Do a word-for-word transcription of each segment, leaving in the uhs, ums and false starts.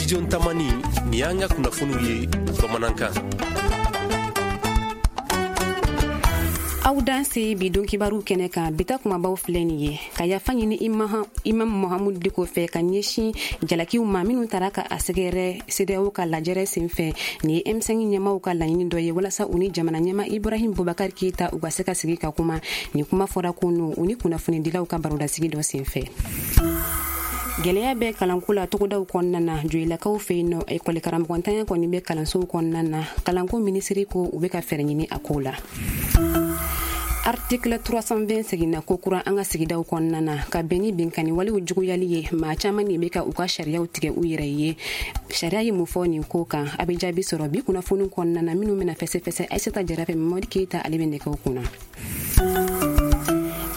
Studio Tamani, nin y'an ka kunnafoniw ye bamanankan. Aw danse bi don kibaru kɛnɛ kan, bi ta kumabaw filɛ nin ye: ka yafa ɲini Imam Mahamudu Diko fɛ ka ɲɛsin jalakiw ma minnu taara ka a sɛgɛrɛ CEDEAO ka lajɛrɛ senfɛ. Nin ye M cinq ɲɛmaw ka laɲini dɔ ye walasa u ni jamana ɲɛma Ibrahim Boubacar Keita u ka se ka sigi ka kuma. Nin kuma fɔra kunu u ni kunnafonidilaw ka barodasigi dɔ senfɛ. Gɛlɛya bɛ kalanko la togodaw kɔnɔna na. Joyilakaw fɛ yen nɔ, ekɔli karamɔgɔntanya kɔni bɛ kalansow kɔnɔna na. Kalanko minisiri ko u bɛ ka fɛɛrɛ ɲini a ko la. Article trois cent vingt seginna ko kura an ka sigidaw kɔnɔna na ka bɛn ni binkanni walew juguyali ye. Maa caman de bɛ ka u ka sariyaw tigɛ u yɛrɛ ye. Sariya ye mun fɔ nin ko kan? A bɛ jaabi sɔrɔ bi kunnafoniw kɔnɔna na minnu bɛna fɛsɛfɛsɛ Aïssata Jara fɛ. Mamadu Keyita, ale bɛ nɛgɛw kunna.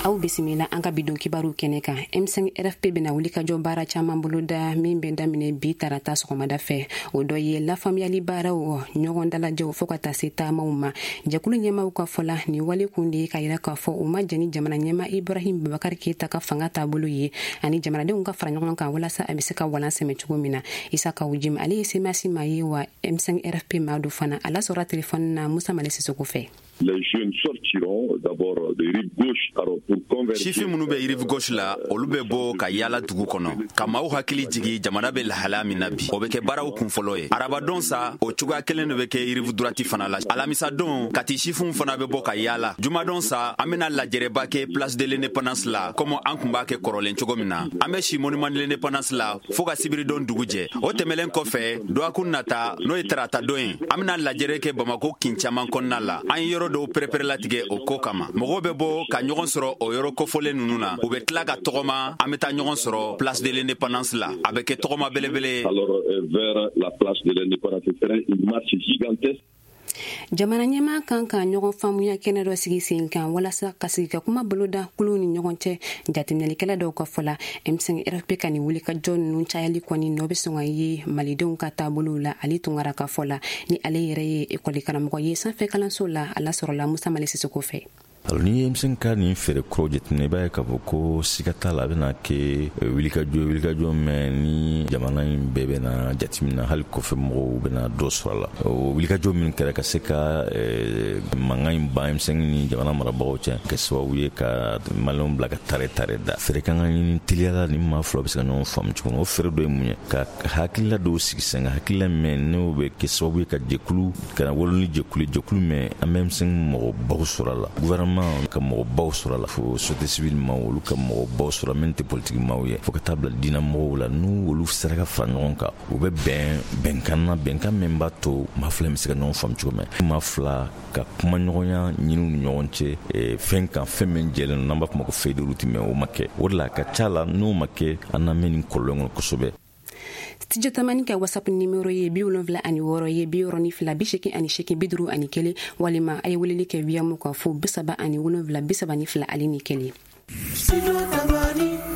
Aw bisimila an ka bidon kibaru kɛnɛ kan. M cinq R F P bɛna wuli ka jɔ baara caman boloda min bɛ daminɛ bi tarata sɔgɔmada fɛ. O dɔ ye lafaamuyali baaraw, ɲɔgɔn dalajɛw, fo ka taa se taamaw ma. Jɛkulu ɲɛmaw ka fɔ la, nin wale kun de ye ka yira k'a fɔ u ma jɛn ni jamana ɲɛma Ibrahim Boubacar Keita ka fanga taabolo ye, ani jamanadenw ka fara ɲɔgɔn kan walasa a bɛ se ka walan sɛmɛ cogo min na. Isa Kawu Jim, ale ye C M A S maa ye wa M cinq R F P maa do fana. A lasɔrɔla telefɔni na Musa Male Sisoko fɛ. Les jeunes sortiront d'abord de rive gauche, alors pour convertir. Sifin minnu bɛ rive gauche la, olu bɛ bɔ ka yaala dugu kɔnɔ ka maaw hakili jigi jamana bɛ lahalaya min na bi. O bɛ kɛ baaraw kun fɔlɔ ye. Arabadon sa, o cogoya kelen de bɛ kɛ rive droite fana la. Alamisadon, Kati sifinw fana bɛ bɔ ka yaala. Jumadon sa, an bɛna lajɛrɛba kɛ place de l'Indépendance la, komi an kun b'a kɛ kɔrɔlen cogo min na. An bɛ si monument de l'Indépendance la fo ka sibiridon dugu jɛ. O tɛmɛlen kɔfɛ, dɔgɔkun nata, n'o ye tarata don ye, an bɛna lajɛrɛ kɛ Bamako kin caman kɔnɔna la. An ye yɔrɔ dɔw pɛrɛpɛrɛlatigɛ o ko kama. Mɔgɔw bɛ bɔ ka ɲɔgɔn sɔrɔ o yɔrɔ kofɔlen ninnu na. U bɛ tila ka tɔgɔma, an bɛ taa ɲɔgɔn sɔrɔ place de l'Indépendance la. A bɛ kɛ tɔgɔma belebele. Alors euh, vers la place de l'Indépendance, ce sera une marche gigantesque. Jamana ɲɛmaa kan ka ɲɔgɔn faamuya kɛnɛ dɔ sigi sen kan walasa ka sigi ka kuma boloda kuluw ni ɲɔgɔn cɛ. Jateminɛlikɛla dɔw ka fɔ la, M cinq R F P ka nin wuli ka jɔ ninnu cayali kɔni nɔ bɛ sɔn ka ye malidenw ka taabolow la. Ale Tunkara ka fɔ la, ni ale yɛrɛ ye ekɔli karamɔgɔ ye sanfɛ kalanso la, a lasɔrɔla Musa Male Sisoko fɛ. Alors, ni ye M cinq ka nin fɛɛrɛ kuraw jateminɛ, i b'a ye k'a fɔ ko siga t'a la, a bɛna kɛ wulikajɔ, wulikajɔ mɛn ni jamana in bɛɛ bɛna jateminɛ, hali kɔfɛ mɔgɔw bɛna dɔ sɔrɔ a la. O wulikajɔ min kɛra ka se ka mankan in ban M cinq ni jamana marabagaw cɛ, kɛ sababu ye ka maliyɛnw bila ka tare tare da. Fɛɛrɛ kan ka ɲini teliya la ni maa fila bɛ se ka ɲɔgɔn faamu cogo min. O fɛɛrɛ dɔ ye mun ye? Ka hakilila dɔw sigi sen kan, hakilila mɛn n'o bɛ kɛ sababu ye ka jɛkulu ka na wolo ni jɛkulu, jɛkulu mɛn an bɛ M cinq mɔgɔbaw sɔrɔ a la, gouvernement ka mɔgɔbaw sɔrɔ a la, fo société civile maaw, olu ka mɔgɔbaw sɔrɔ min tɛ politiki maaw ye, fo ka taa bila diinɛ mɔgɔw la. N'u olu sera ka fara ɲɔgɔn kan, u bɛ bɛn bɛnkan na, bɛnkan min b'a to maa fila bɛ se ka ɲɔgɔn faamu cogo min, maa fila ka kumaɲɔgɔnya ɲini u ni ɲɔgɔn cɛ fɛn kan, fɛn min jɛlen don, n'an b'a fɔ ma ko feuille de route. Mais o ma kɛ. O de la, a ka ca la, n'o ma kɛ, an na mɛn nin kɔlɔlɔ in kɔnɔ kosɛbɛ. Studio Tamani ka WhatsApp numéro ye bi wolonwula ani wɔɔrɔ ye, bi wɔɔrɔ ni fila, bi seegin ani seegin, bi duuru ani kelen, walima a ye weleli kɛ Wiyamu ka fo bi saba ani wolonwula, bi saba ni fila ale ni kelen.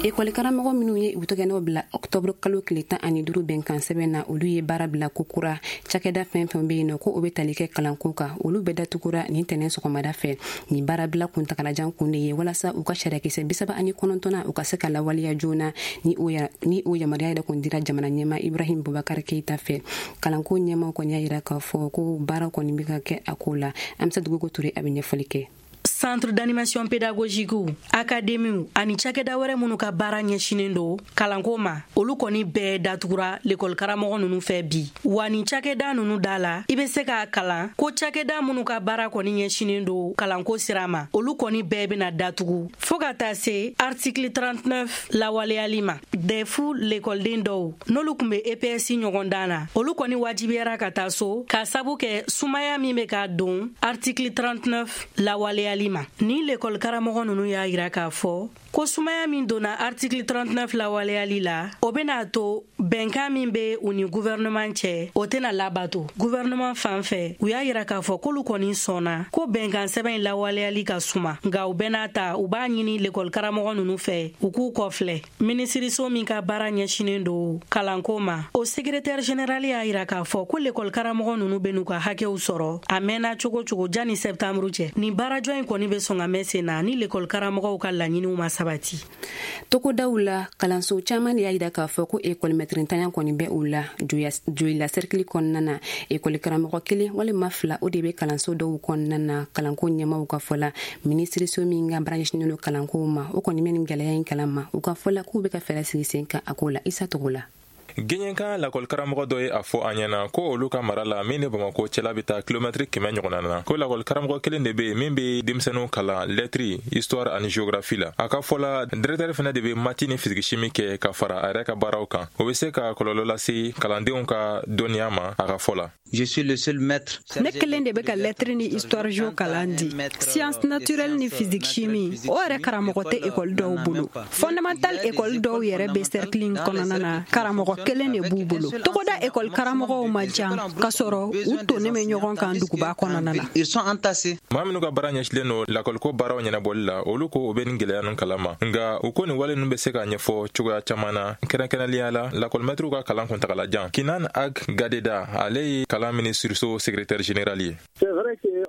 Ekɔli karamɔgɔ minnu ye u tɛgɛnɔ bila ɔktɔburu kalo tile tan ani duuru bɛnkan sɛbɛn na, olu ye baara bila ko kura. Cakɛda fɛn fɛn bɛ yen nɔ ko o bɛ tali kɛ kalanko kan, olu bɛɛ datugura nin tɛnɛn sɔgɔmada fɛ. Nin baarabila kuntagalajan kun de ye walasa u ka sariyakisɛ bi saba ani kɔnɔntɔnna u ka se ka lawaleya joona, ni o ni o yamaruya yɛrɛ kun dira jamana ɲɛma Ibrahim Boubacar Keita fɛ. Kalanko ɲɛmaw kɔni y'a yira k'a fɔ ko baara kɔni bɛ ka kɛ a ko la. Amsa Duguko Ture, a bɛ ɲɛfɔli kɛ. Centre d'animation pédagogique, académie ani cakɛda wɛrɛ minnu ka baara ɲɛsinen don kalanko ma, olu kɔni bɛɛ datugura lekɔli karamɔgɔ ninnu fɛ bi. Wa nin cakɛda ninnu da la, i bɛ se k'a kalan ko cakɛda minnu ka baara kɔni ɲɛsinen don kalanko sira ma, olu kɔni bɛɛ bɛna datugu fɔɔ ka taa se article trente-neuf lawaleyali ma. D E F lekɔliden dɔw, n'olu kun bɛ E P S ɲɔgɔn dan na, olu kɔni wajibiyara ka taa so k'a sabu kɛ sumaya min bɛ ka don article trente-neuf lawaleyali ma. Ni lekɔli karamɔgɔ ninnu y'a yira k'a fɔ ko sumaya min donna article trente-neuf lawaleyali la, o bɛna to bɛnkan min bɛ u ni gouvernement cɛ, o tɛna labato. Gouvernement fan fɛ, u y'a yira k'a fɔ k'olu kɔni sɔnna ko bɛnkan sɛbɛn in lawaleyali ka suma, nka u bɛɛ n'a ta, u b'a ɲini lekɔli karamɔgɔ ninnu fɛ u k'u kɔfilɛ. Minisiriso min ka baara ɲɛsinen don kalanko ma, o secrétaire général y'a yira k'a fɔ ko lekɔli karamɔgɔ ninnu bɛ n'u ka hakɛw sɔrɔ a mɛnna cogo cogo janni septembre cɛ. Nin baarajɔ in kɔni bɛ sɔn ka mɛn sen na ni lekɔli karamɔgɔw ka laɲiniw ma sabati. sabati. Togodaw la, kalanso caman de y'a jira k'a fɔ ko ekɔlimɛtirintanya kɔni bɛ u la Joyila sɛrikili kɔnɔna na. Ekɔli karamɔgɔ kelen walima fila, o de bɛ kalanso dɔw kɔnɔna na. Kalanko ɲɛmaw ka fɔ la, minisiriso min ka baara ɲɛsinnen don kalanko ma, o kɔni bɛ nin gɛlɛya in kalama. U ka fɔ la, k'u bɛ ka fɛɛrɛ sigi sen kan a ko la. Isa Togo la. Gɛɲɛkan lakɔlikaramɔgɔ dɔ ye a fɔ an ɲɛna ko olu ka mara la, min ni Bamako cɛla bɛ taa kilomɛtiri kɛmɛ ɲɔgɔnna na, ko lakɔlikaramɔgɔ kelen de bɛ yen min bɛ denmisɛnninw kalan lɛtiri, histoire ani géographie la. A ka fɔ la, directeur fana de bɛ maths ni physique chimie kɛ ka fara a yɛrɛ ka baaraw kan. O bɛ se ka kɔlɔlɔ lase kalandenw ka dɔnniya ma, a ka fɔ la. Je suis le seul maître. Ne kelen de bɛ ka lɛtiri ni histoire géo kalan di. Science naturelle ni physique chimie, o yɛrɛ karamɔgɔ tɛ ekɔli dɔw bolo. Fondamental ekɔli dɔw yɛrɛ bɛ cercle in kɔnɔna na, karamɔgɔ kelen de b'u bolo. Togoda ekɔli karamɔgɔw man ca, k'a sɔrɔ u tonnen bɛ ɲɔgɔn kan duguba kɔnɔna na. Ils sont entassés. Maa minnu ka baara ɲɛsilen don lakɔliko baaraw ɲɛnabɔli la, olu ko u bɛ nin gɛlɛya ninnu kalama, nka u ko nin wale ninnu bɛ se ka ɲɛfɔ cogoya caman na, kɛrɛnkɛrɛnnenya la lakɔlimɛtiriw ka kalan kuntagalajan. Kinan Ag Gadeda, ale ye kalan minisiriso secrétaire général ye.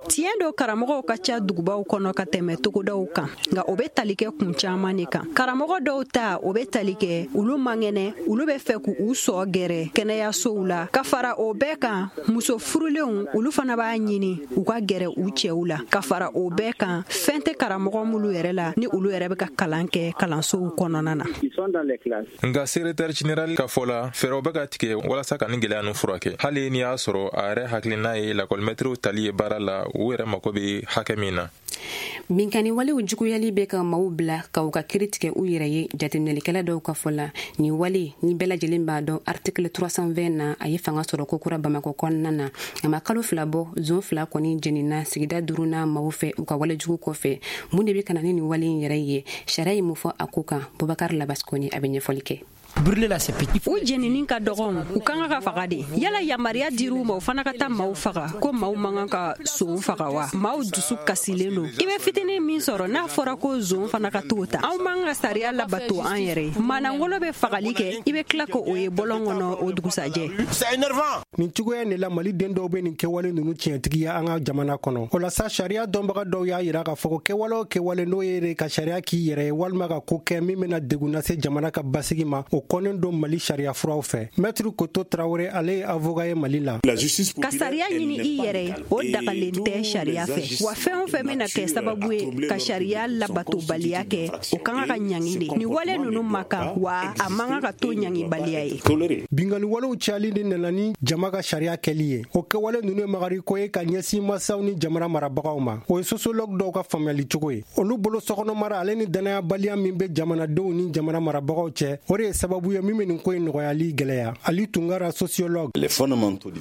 Tiɲɛ don, karamɔgɔw ka ca dugubaw kɔnɔ ka tɛmɛ togodaw kan, nka o bɛ tali kɛ kun caman de kan. Karamɔgɔ dɔw ta, o bɛ tali kɛ olu man kɛnɛ, olu bɛ fɛ k'u sɔ gɛrɛ kɛnɛyasow la. Ka fara o bɛɛ kan, muso furulenw, olu fana b'a ɲini u ka gɛrɛ u cɛw la. Ka fara o bɛɛ kan, fɛn tɛ karamɔgɔ minnu yɛrɛ la ni olu yɛrɛ bɛ ka kalan kɛ kalansow kɔnɔna na. Nka secrétaire général ka fɔ la, fɛɛrɛw bɛ ka tigɛ walasa ka nin gɛlɛya ninnu furakɛ, hali n'i y'a sɔrɔ a yɛrɛ hakilina ye lakɔlimɛtiriw tali ye baara la, u yɛrɛ mako bɛ hakɛ min na. Binkanni walew juguyali bɛ ka maaw bila ka u ka kiri tigɛ u yɛrɛ ye, jateminɛlikɛla dɔw ka fɔ la. Nin wale ni bɛɛ lajɛlen b'a dɔn, article trois cent vingt na, a ye fanga sɔrɔ kokura Bamakɔ kɔnɔna na. A ma kalo fila bɔ, zon fila kɔni jenina sigida duurunan maaw fɛ u ka walejugu kɔfɛ. Mun de bɛ ka na ni nin wale in yɛrɛ ye? Sariya ye mun fɔ a ko kan? Bubakar Labaskoni, a bɛ ɲɛfɔli kɛ. U jenini ka dɔgɔn, u kan ka faga de. Yala yamaruya dir'u ma, u fana ka taa maaw faga, ko maaw man kan ka son faga wa? Maaw dusu kasilen don. I bɛ fitinin min sɔrɔ, n'a fɔra ko zon fana ka t'o ta, anw man ka sariya labato an yɛrɛ ye. Manangolo bɛ fagali kɛ, i bɛ tila ka o ye bɔlɔn kɔnɔ o dugusajɛ. Nin cogoya de la, Mali den dɔw bɛ nin kɛwale ninnu tiɲɛtigiya an ka jamana kɔnɔ. O la sa, sariya dɔnbaga dɔw y'a yira k'a fɔ ko kɛwale o kɛwale n'o ye ka sariya k'i yɛrɛ ye, walima ka ko kɛ min bɛna degun lase jamana ka basigi ma, o kɔnnen don Mali sariya furaw fɛ. Maître Koto Tarawele, ale ye avocat ye Mali la. Ka sariya ɲini i yɛrɛ ye, o dagalen tɛ sariya fɛ. Wa fɛn o fɛn bɛna kɛ sababu ye ka sariya labatobaliya kɛ, o kan ka ɲangi de. Nin wale ninnu ma kan wa, a man kan ka to ɲangibaliya ye. Binkanni walew cayali de nana ni jama ka sariya kɛli ye. O kɛwale ninnu ye magariko ye ka ɲɛsin masaw ni jamana marabagaw ma. O ye sociologue dɔw ka faamuyali cogo ye. Olu bolo, sokɔnɔ mara ale ni danayabaliya min bɛ jamanadenw ni jamana marabagaw cɛ, o de ye sababu ye min bɛ nin ko in nɔgɔyali gɛlɛya. Ali Tunkara, sociologue.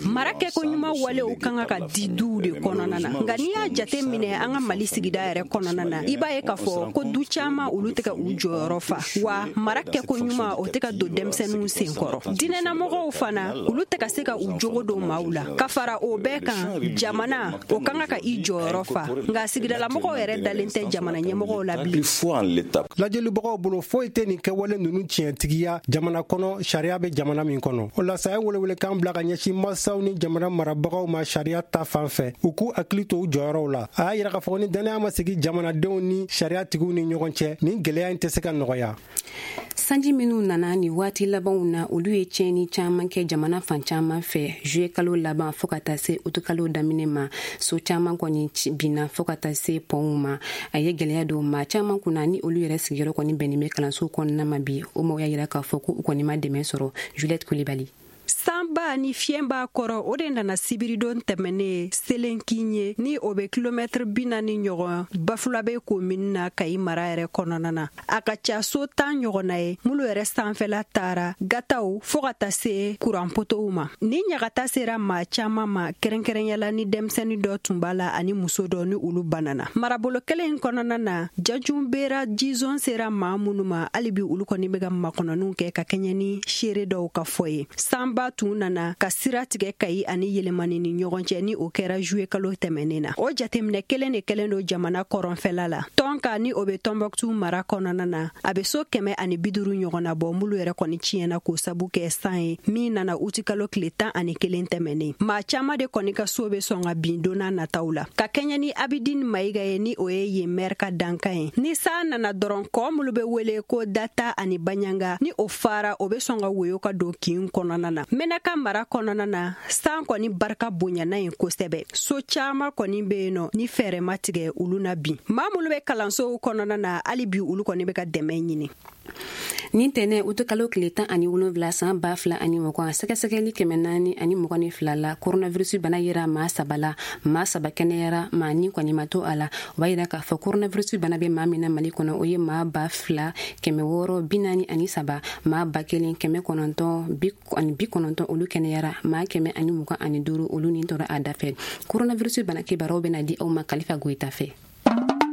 Mara kɛko ɲuman walew kan ka di duw de kɔnɔna na, nka n'i y'a jate minɛ an ka Mali sigida yɛrɛ kɔnɔna na, i b'a ye k'a fɔ ko du caman, olu tɛ ka u jɔyɔrɔ fa, wa mara kɛko ɲuman, o tɛ ka don denmisɛnninw senkɔrɔ. Diinɛnamɔgɔw fana, olu tɛ ka se ka u jogo don maaw la. Ka fara o bɛɛ kan, jamana o kan ka i jɔyɔrɔ fa, nka sigidalamɔgɔw yɛrɛ dalen tɛ jamana ɲɛmɔgɔw la bilen. Lajɛlibagaw bolo, foyi tɛ nin kɛwale ninnu tiɲɛtigiya jamana kɔnɔ, sariya bɛ jamana min kɔnɔ. O la sa, a ye welewelekan bila ka ɲɛsin masaw ni jamana marabagaw ma sariya ta fan fɛ, u k'u hakili to u jɔyɔrɔw la. A y'a yira k'a fɔ ni danaya ma sigi jamanadenw ni sariyatigiw ni ɲɔgɔn cɛ, nin gɛlɛya in tɛ se ka nɔgɔya. Sanji minnu nana ni waati labanw na, olu ye tiɲɛni caman kɛ jamana fan caman fɛ. Juillet kalo laban fɔɔ ka taa se utu kalo daminɛ ma, so caman kɔni binna fɔɔ ka taa se pɔnw ma. A ye gɛlɛya don maa caman kunna ni olu yɛrɛ sigiyɔrɔ kɔni bɛnnen bɛ kalanso kɔnɔna ma bi. O maaw y'a yira k'a fɔ ko u kɔni ma dɛmɛ sɔrɔ. Juliette Kulibali. Sanba ni fiɲɛba kɔrɔ, o de nana sibiridon tɛmɛnen Selenkin ye, ni o bɛ kilomɛtiri bi naani ɲɔgɔn Bafulabe komini na, Kayi mara yɛrɛ kɔnɔna na. A ka ca so tan ɲɔgɔnna ye minnu yɛrɛ sanfɛla taara, gataw fɔɔ ka taa se kuranpotow ma. Ni ɲagata sera maa caman ma, kɛrɛnkɛrɛnyala ni denmisɛnnin dɔ tun b'a la ani muso dɔ, ni olu banana. Marabolo kelen in kɔnɔna na, jajunbera jizon sera maa minnu ma, hali bi olu kɔni bɛ ka makɔnɔniw kɛ ka kɛɲɛ ni seere dɔw ka fɔ ye. Sanba tun nana ka sira tigɛ Kayi ani Yelemani ni ɲɔgɔn cɛ, ni o kɛra juillet kalo tɛmɛnen na. O jateminɛ kelen de kɛlen don jamana kɔrɔnfɛla la. Tɔnka ni o bɛ Tɔnbɔkutu mara kɔnɔna na, a bɛ so kɛmɛ ani bi duuru ɲɔgɔnna bɔ minnu yɛrɛ kɔni tiɲɛna k'o sabu kɛ san ye min nana uti kalo tile tan ani kelen tɛmɛnen. Maa caman de kɔni ka so bɛ sɔn ka bin don n'a nataw la. Ka kɛɲɛ ni Abidine Mayiga ye, ni o ye yen maire ka dankan ye, ni san nana dɔrɔn kɔ minnu bɛ wele ko Data ani Baɲanga, ni o fara o bɛ sɔn ka woyo ka don kin kɔnɔna na. Menaka mara kɔnɔna na, san kɔni barika bonyana yen kosɛbɛ. So caman kɔni bɛ yen nɔ ni fɛɛrɛ ma tigɛ olu na bin. Maa minnu bɛ kalansow kɔnɔna na, hali bi olu kɔni bɛ ka dɛmɛ ɲini. Nin tɛnɛ utukalo tile tan ani wolonwula san ba fila ani mugan, sɛgɛsɛgɛli kɛmɛ naani ani mugan ni fila la, coronavirus bana yera maa saba la, maa saba kɛnɛyara, maa ni kɔni ma to a la. O b'a yira k'a fɔ coronavirus bana bɛ maa min na Mali kɔnɔ, o ye maa ba fila kɛmɛ wɔɔrɔ bi naani ani saba, maa ba kelen kɛmɛ kɔnɔntɔn bi ani bi kɔnɔntɔn olu kɛnɛyara, maa kɛmɛ ani mugan ani duuru olu ni tora a dafɛ. Coronavirus bana kibaruyaw bɛna di aw ma Kalifa Goyita fɛ.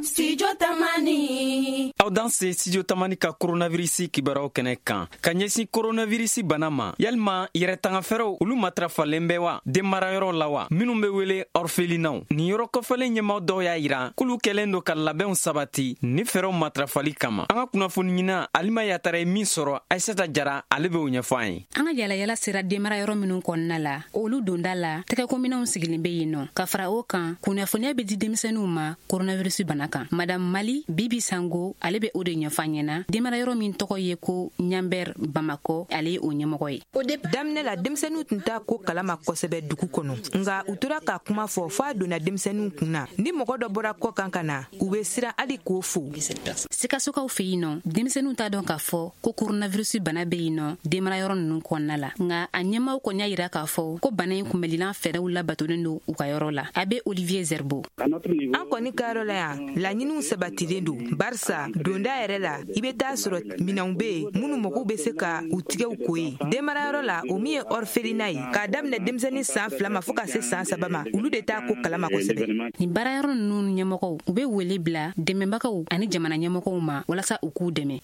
Studio Tamani. Aw danse Studio Tamani ka coronavirus kibaruyaw kɛnɛ kan. Ka ɲɛsin coronavirus bana ma, yalima yɛrɛtangafɛɛrɛw olu matarafalen bɛ wa denmarayɔrɔ la wa minnu bɛ wele orphelinats? Nin yɔrɔ kɔfɛlen ɲɛmaw dɔw y'a yira k'olu kɛlen don ka labɛnw sabati ni fɛɛrɛw matarafali kama. An ka kunnafoni ɲina Alima Yatara ye min sɔrɔ, Aissata Jara ale b'o ɲɛfɔ an ye. An ka yalayala sera denmarayɔrɔ minnu kɔnɔna la, olu donda la tɛgɛkominɛnw sigilen bɛ yen nɔ. Ka fara o kan, kunnafoniya bɛ di denmisɛnninw ma coronavirus bana kan. Madame Mali Bibi Sango ale bɛ o de ɲɛfɔ an ɲɛna. Denmarayɔrɔ min tɔgɔ ye ko Ɲanbɛr Bamakɔ, ale ye o ɲɛmɔgɔ ye. Daminɛ la denmisɛnninw tun t'a ko kalama kosɛbɛ dugu kɔnɔ, nka u tora ka kuma fɔ f'a donna denmisɛnninw kun na. Ni mɔgɔ dɔ bɔra kɔ kan ka na, u bɛ siran hali k'o fo. Sikasokaw fɛ yen nɔ, denmisɛnninw t'a dɔn k'a fɔ ko coronavirus bana bɛ yen nɔ denmarayɔrɔ ninnu kɔnɔna la, nka a ɲɛmaaw kɔni y'a yira k'a fɔ ko bana in kunbɛlilan fɛɛrɛw labatolen don u ka yɔrɔ la. A bɛ Olivier Zerbo. An kɔni ka yɔrɔ la yan, laɲiniw sabatilen don, barisa donda yɛrɛ la i bɛ taa sɔrɔ minɛnw bɛ yen minnu mɔgɔw bɛ se ka u tigɛw ko ye. Denmarayɔrɔ la, o min ye orphelinat ye, k'a daminɛ denmisɛnnin san fila ma fo ka se san saba ma, olu de t'a ko kalama kosɛbɛ. Nin baarayɔrɔ ninnu ɲɛmɔgɔw, u bɛ wele bila dɛmɛbagaw ani jamana ɲɛmɔgɔw ma walasa u k'u dɛmɛ.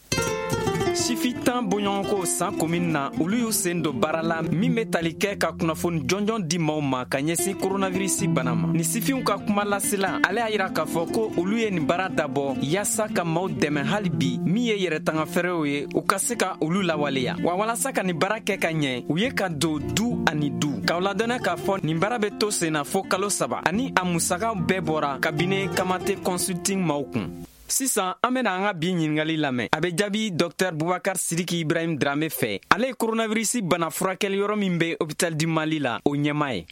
Sifi tan bɔɲɔgɔnko san komin na, olu y'u sen don baara la min bɛ tali kɛ ka kunnafoni jɔnjɔn di maaw ma ka ɲɛsin coronavirus bana ma. Ni sifinw ka kuma lasela, ale y'a yira k'a fɔ ko olu ye nin baara dabɔ yaasa ka maaw dɛmɛ hali bi min ye yɛrɛtangafɛɛrɛw ye, u ka se ka olu lawaleya. Wa walasa ka nin baara kɛ ka ɲɛ, u ye ka don du ani du. K'aw ladɔnniya k'a fɔ nin baara bɛ to sen na fo kalo saba, ani a musakaw bɛɛ bɔra kabini Kamate Consulting maaw kun. Sisan an bena an ka bi ɲiningali lamɛn. A bɛ jaabi Docteur Bubakar Sidiki Ibrahim Drame fɛ. Ale ye coronavirus bana furakɛli yɔrɔ min bɛ Hôpital du Mali la, o ɲɛmaa ye.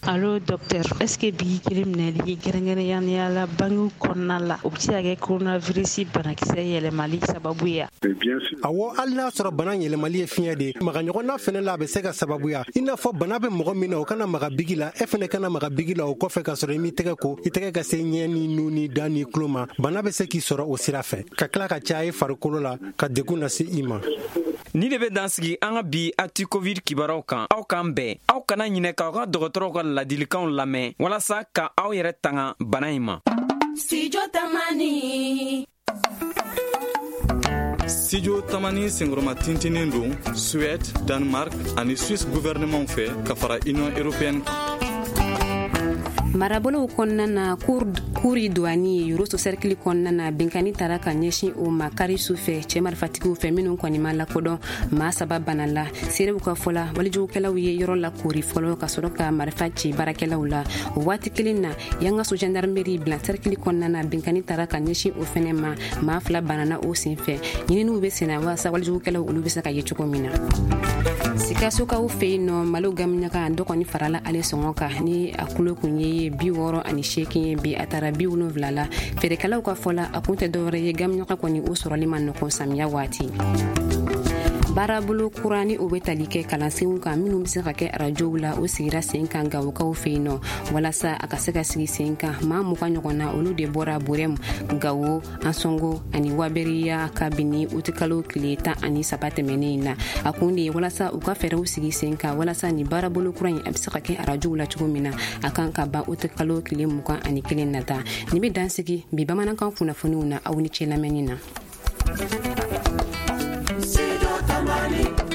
Allo docteur, est-ce que bi kelen minɛli kɛrɛnkɛrɛnnenya la bangew kɔnɔna la, o bɛ se ka kɛ coronavirus banakisɛ yɛlɛmali sababu ye? Awɔ, hali n'a sɔrɔ bana yɛlɛmali ye fiɲɛ de ye, maga ɲɔgɔnna fɛnɛ la a bɛ se ka sababuya. I n'a fɔ bana bɛ mɔgɔ min na, o kana maga bigi la, e fɛnɛ kana maga bigi la o kɔfɛ ka sɔrɔ i m'i tɛgɛ ko, i tɛgɛ ka se ɲɛ ni nun ni da ni tulo ma. Bana bɛ se k'i sɔrɔ o sira fɛ, ka tila ka caya i farikolo la, ka degun lase i ma. Ni de bɛ dan sigi an ka bi Actu Covid kibaruyaw kan. Aw k'an bɛn. Aw kana ɲinɛ k'aw ka dɔgɔtɔrɔw ka ladilikanw lamɛn walasa ka aw yɛrɛ tanga bana in ma. Studio Tamani. Studio Tamani senkɔrɔma tintinen don Suède, Danemark ani Suisse gouvernement fɛ ka fara Union européenne kan. Marabolow kɔnɔna na, kuri douani Yoroso cercle kɔnɔna na, binkani tara ka ɲɛsin o ma kari su fɛ cɛ marifatigiw fɛ minnu kɔni ma lakodɔn. Maa saba bana la. Seerew ka fɔ la, walijugukɛlaw ye yɔrɔ la koori fɔlɔ ka sɔrɔ ka marifa ci baarakɛlaw la. O waati kelen na, Yangaso gendarmerie bila cercle kɔnɔna na, binkani tara ka ɲɛsin o fɛnɛ ma, maa fila banana o sen fɛ. Ɲininiw bɛ senna walasa walijugukɛlaw olu bɛ se ka ye cogo min na. Sikasokaw fɛ yen nɔ, malo gamuɲaga dɔ kɔni farala ale sɔngɔ kan ni a kulo kun ye bi wɔɔrɔ ani seegin ye, bi a taara bi wolonwula la. Feerekɛlaw ka fɔ la, a kun tɛ dɔwɛrɛ ye gamuɲaga kɔni o sɔrɔli ma nɔgɔn samiya waati. Baarabolo kura ni o bɛ tali kɛ kalansenw kan minnu bɛ se ka kɛ arajow la, o sigira sen kan Gawokaw fɛ yen nɔ. Walasa a ka se ka sigi sen kan, maa mugan ɲɔgɔn na olu de bɔra Burɛmu, Gawo, Ansɔngo ani Waberiya kabini utikalo tile tan ani saba tɛmɛnen in na. A kun de ye walasa u ka fɛɛrɛw sigi sen kan walasa ni baarabolo kura in a bɛ se ka kɛ arajow la cogo min na. A kan ka ban utikalo tile mugan ani kelen nata. Nin bɛ dan sigi bi bamanankan kunnafoniw na. Aw ni ce lamɛnni na. Money.